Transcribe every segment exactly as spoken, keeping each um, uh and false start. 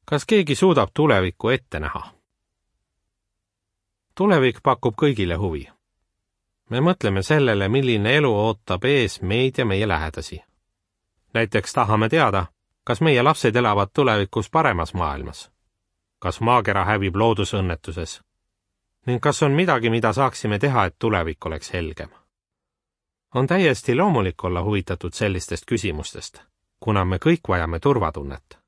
Kas keegi suudab tulevikku ette näha? Tulevik pakub kõigile huvi. Me mõtleme sellele, milline elu ootab ees meid ja meie lähedasi. Näiteks tahame teada, kas meie lapsed elavad tulevikus paremas maailmas, kas maakera hävib loodusõnnetuses ning kas on midagi, mida saaksime teha, et tulevik oleks helgem. On täiesti loomulik olla huvitatud sellistest küsimustest, kuna me kõik vajame turvatunnet.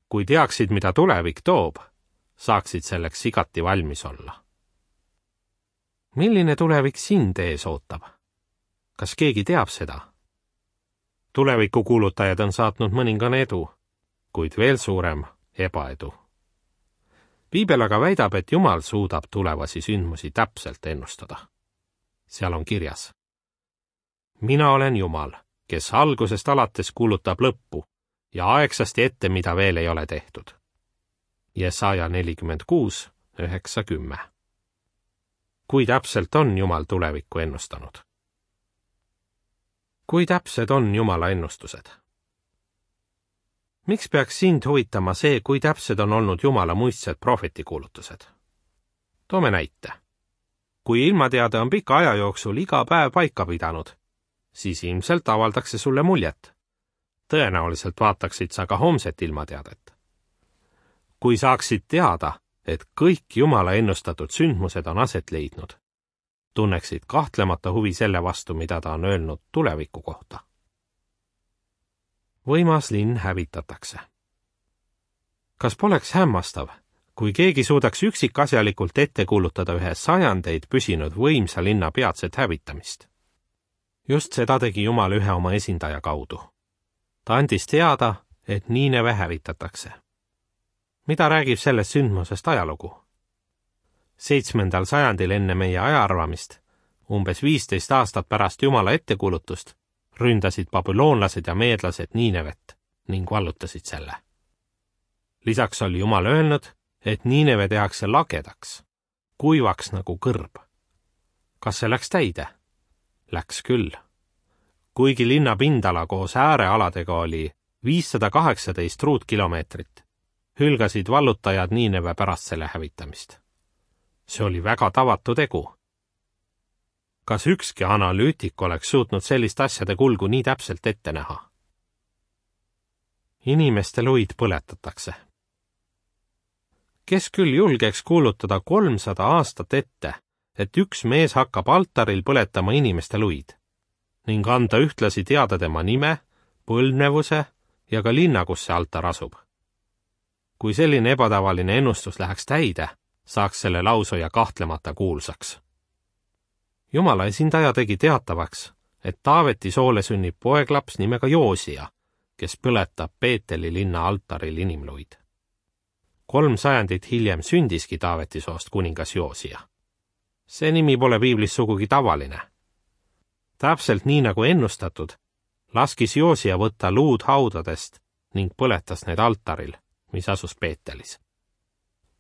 Kui teaksid, mida tulevik toob, saaksid selleks igati valmis olla. Milline tulevik sind ees ootab? Kas keegi teab seda? Tulevikukuulutajad on saatnud mõningane edu, kuid veel suurem ebaedu. Piibel aga väidab, et Jumal suudab tulevasi sündmusi täpselt ennustada. Seal on kirjas: Mina olen Jumal, kes algusest alates kuulutab lõppu ja aegsasti ette, mida veel ei ole tehtud. Jesaja nelikümmend kuus, üheksa kümme. Kui täpselt on Jumal tulevikku ennustanud? Kui täpsed on Jumala ennustused? Miks peaks sind huvitama see, kui täpsed on olnud Jumala muistsed prohvetikuulutused? Toome näite. Kui ilmateade on pika aja jooksul iga päev paika pidanud, siis ilmselt avaldaks see sulle muljet. Tõenäoliselt vaataksid sa ka homset ilmateadet. Kui saaksid teada, et kõik Jumala ennustatud sündmused on aset leidnud, tunneksid kahtlemata huvi selle vastu, mida ta on öelnud tuleviku kohta. Võimas linn hävitatakse. Kas poleks hämmastav, kui keegi suudaks üksikasjalikult ette kuulutada ühe sajandeid püsinud võimsa linna peatset hävitamist? Just seda tegi Jumal ühe oma esindaja kaudu. Ta andis teada, et Niineve hävitatakse. Mida räägib sellest sündmusest ajalugu? Seitsmendal sajandil enne meie ajaarvamist, umbes viisteist aastat pärast Jumala ettekuulutust, ründasid babüloonlased ja meedlased Niinevet ning vallutasid selle. Lisaks oli Jumal öelnud, et Niineve tehakse lagedaks, kuivaks nagu kõrb. Kas see läks täide? Läks küll. Kuigi linna pindala koos äärealadega oli viissada kaheksateist ruutkilomeetrit, hülgasid vallutajad Niineve pärast selle hävitamist. See oli väga tavatu tegu. Kas ükski analüütik oleks suutnud sellist asjade kulgu nii täpselt ette näha? Inimeste luid põletatakse. Kes küll julgeks kuulutada kolmsada aastat ette, et üks mees hakkab altaril põletama inimeste luid ning anda ühtlasi teada tema nime, põlvnevuse ja ka linna, kus see altar asub. Kui selline ebatavaline ennustus läheks täide, saaks selle lausuja kahtlemata kuulsaks. Jumala esindaja tegi teatavaks, et Taaveti soole sünnib poeglaps nimega Joosia, kes põletab Peeteli linna altaril inimluid. Kolm sajandit hiljem sündiski Taaveti soost kuningas Joosia. See nimi pole piiblis sugugi tavaline. Täpselt nii nagu ennustatud, laskis Joosia võtta luud haudadest ning põletas need altaril, mis asus Peetelis.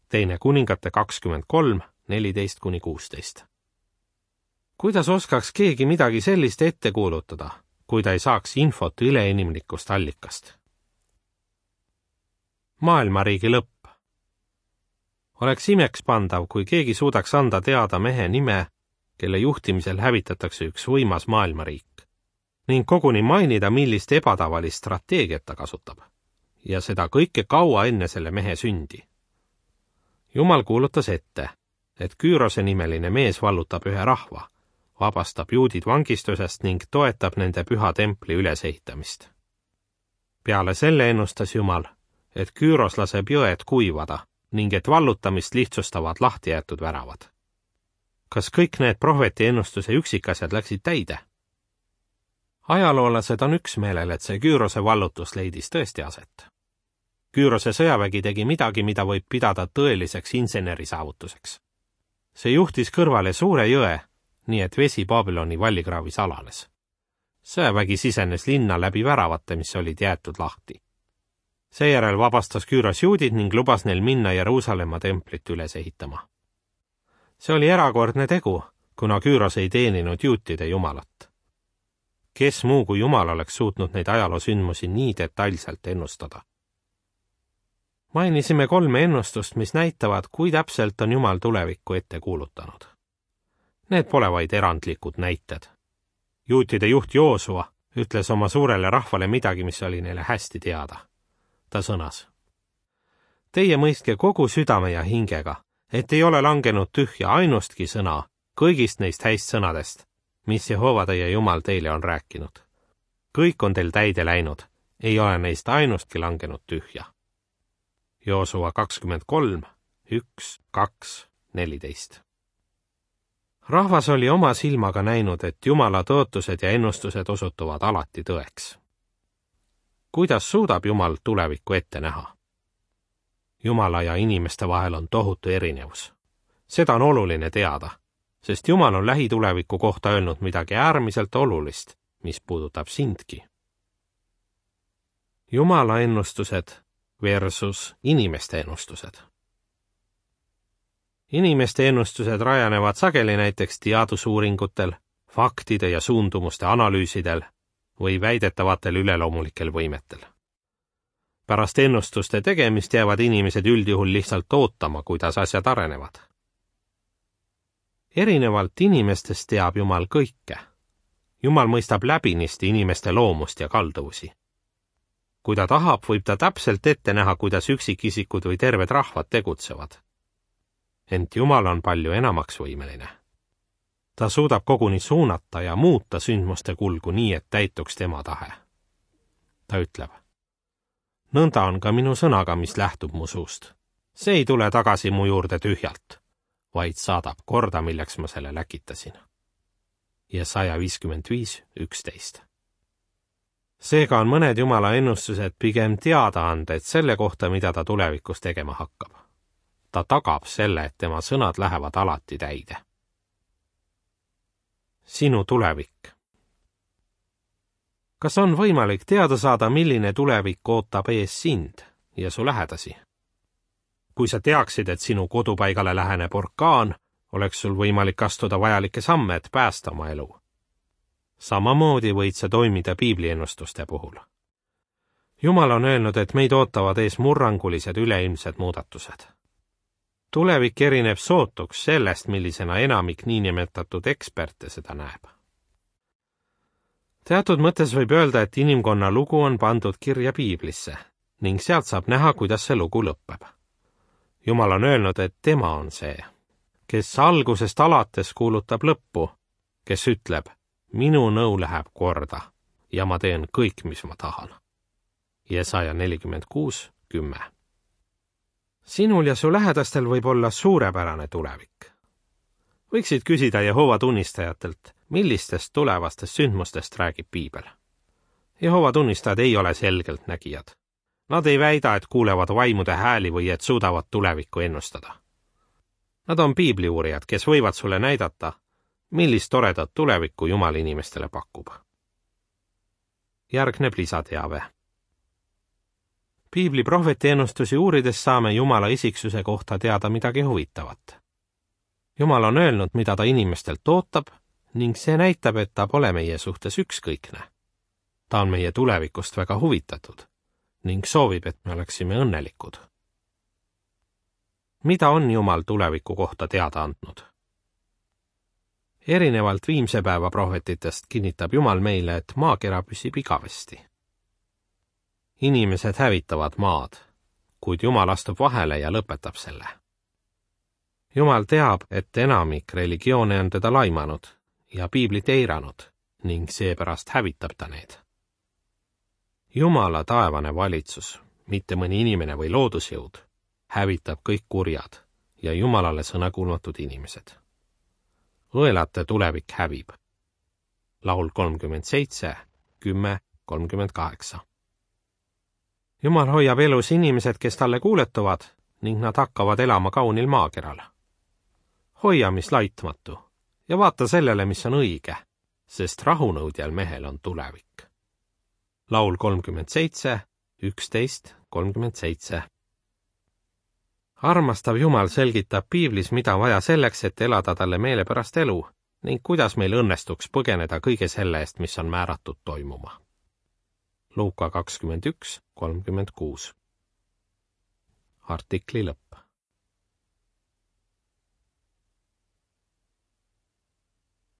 Teine kuningate kakskümmend kolm, neliteist kuni kuusteist. Kuidas oskaks keegi midagi sellist ette kuulutada, kui ta ei saaks infot üleinimlikust allikast? Maailmariigi lõpp. Oleks imekspandav, kui keegi suudaks anda teada mehe nime, kelle juhtimisel hävitatakse üks võimas maailmariik, ning koguni mainida, millist ebatavalist strateegiat ta kasutab, ja seda kõike kaua enne selle mehe sündi. Jumal kuulutas ette, et Küürose nimeline mees vallutab ühe rahva, vabastab juudid vangistusest ning toetab nende püha templi ülesehitamist. Peale selle ennustas Jumal, et Küüros laseb jõed kuivada ning et vallutamist lihtsustavad lahti jäetud väravad. Kas kõik need prohveti ennustuse üksikasjad läksid täide? Ajaloolased on üksmeelel, et see Küürose vallutus leidis tõesti aset. Küürose sõjavägi tegi midagi, mida võib pidada tõeliseks insenerisaavutuseks. See juhtis kõrvale suure jõe, nii et vesi Babyloni vallikraavis alanes. Sõjavägi sisenes linna läbi väravate, mis olid jäetud lahti. Seejärel vabastas Küüros juudid ning lubas neil minna Jeruusalemma templit üles ehitama. See oli erakordne tegu, kuna Küüros ei teeninud juutide jumalat. Kes muu kui Jumal oleks suutnud neid ajaloosündmusi nii detailselt ennustada? Mainisime kolme ennustust, mis näitavad, kui täpselt on Jumal tulevikku ette kuulutanud. Need pole vaid erandlikud näited. Juutide juht Joosua ütles oma suurele rahvale midagi, mis oli neile hästi teada. Ta sõnas: Teie mõistke kogu südame ja hingega, et ei ole langenud tühja ainustki sõna kõigist neist häist sõnadest, mis Jehova teie Jumal teile on rääkinud. Kõik on teil täide läinud, ei ole neist ainustki langenud tühja. Joosua kakskümmend kolm, üks, kaks, neliteist. Rahvas oli oma silmaga näinud, et Jumala tõotused ja ennustused osutuvad alati tõeks. Kuidas suudab Jumal tulevikku ette näha? Jumala ja inimeste vahel on tohutu erinevus. Seda on oluline teada, sest Jumal on lähituleviku kohta öelnud midagi äärmiselt olulist, mis puudutab sindki. Jumala ennustused versus inimeste ennustused. Inimeste ennustused rajanevad sageli näiteks teadusuuringutel, faktide ja suundumuste analüüsidel või väidetavatel üleloomulikel võimetel. Pärast ennustuste tegemist jäävad inimesed üldjuhul lihtsalt ootama, kuidas asjad arenevad. Erinevalt inimestest teab Jumal kõike. Jumal mõistab läbinisti inimeste loomust ja kalduvusi. Kui ta tahab, võib ta täpselt ette näha, kuidas üksikisikud või terved rahvad tegutsevad. Ent Jumal on palju enamaks võimeline. Ta suudab koguni suunata ja muuta sündmuste kulgu nii, et täituks tema tahe. Ta ütleb: Nõnda on ka minu sõnaga, mis lähtub mu suust. See ei tule tagasi mu juurde tühjalt, vaid saadab korda, milleks ma selle läkitasin. Jesaja viiskümmend viis, üksteist. Seega on mõned Jumala ennustused pigem teadaanded selle kohta, mida ta tulevikus tegema hakkab. Ta tagab selle, et tema sõnad lähevad alati täide. Sinu tulevik. Kas on võimalik teada saada, milline tulevik ootab ees sind ja su lähedasi? Kui sa teaksid, et sinu kodupaigale läheneb orkaan, oleks sul võimalik astuda vajalikke samme, et päästa oma elu. Samamoodi võid sa toimida piibliennustuste puhul. Jumal on öelnud, et meid ootavad ees murrangulised üleilmsed muudatused. Tulevik erineb sootuks sellest, millisena enamik niinimetatud eksperte seda näeb. Teatud mõttes võib öelda, et inimkonna lugu on pandud kirja piiblisse ning sealt saab näha, kuidas see lugu lõpeb. Jumal on öelnud, et tema on see, kes algusest alates kuulutab lõppu, kes ütleb: minu nõu läheb korda ja ma teen kõik, mis ma tahan. Jesaja nelikümmend kuus, kümme. Sinul ja su lähedastel võib olla suurepärane tulevik. Võiksid küsida Jehova tunnistajatelt, millistest tulevastest sündmustest räägib piibel. Jehova tunnistajad ei ole selgelt nägijad. Nad ei väida, et kuulevad vaimude hääli või et suudavad tulevikku ennustada. Nad on piibliuurijad, kes võivad sulle näidata, millist toredat tulevikku Jumal inimestele pakub. Järgneb lisateave. Piibli prohveti ennustusi uurides saame Jumala isiksuse kohta teada midagi huvitavat. Jumal on öelnud, mida ta inimestelt ootab, ning see näitab, et ta pole meie suhtes ükskõikne. Ta on meie tulevikust väga huvitatud ning soovib, et me oleksime õnnelikud. Mida on Jumal tuleviku kohta teada andnud? Erinevalt viimse päeva prohvetitest kinnitab Jumal meile, et maakera püsib igavesti. Inimesed hävitavad maad, kuid Jumal astub vahele ja lõpetab selle. Jumal teab, et enamik religioone on teda laimanud ja piiblit eiranud ning seepärast hävitab ta need. Jumala taevane valitsus, mitte mõni inimene või loodusjõud, hävitab kõik kurjad ja Jumalale sõnakuulmatud inimesed. Õelate tulevik hävib. Laul kolmkümmend seitse, kümme, kolmkümmend kaheksa. Jumal hoiab elus inimesed, kes talle kuuletuvad ning nad hakkavad elama kaunil maakeral. Hoia, mis laitmatu, ja vaata sellele, mis on õige, sest rahunõudjal mehel on tulevik. Laul kolmkümmend seitse, üksteist, kolmkümmend seitse. Armastav Jumal selgitab piiblis, mida vaja selleks, et elada talle meelepärast elu ning kuidas meil õnnestuks põgeneda kõige selle eest, mis on määratud toimuma. Luuka kakskümmend üks, kolmkümmend kuus. artikli lõpp.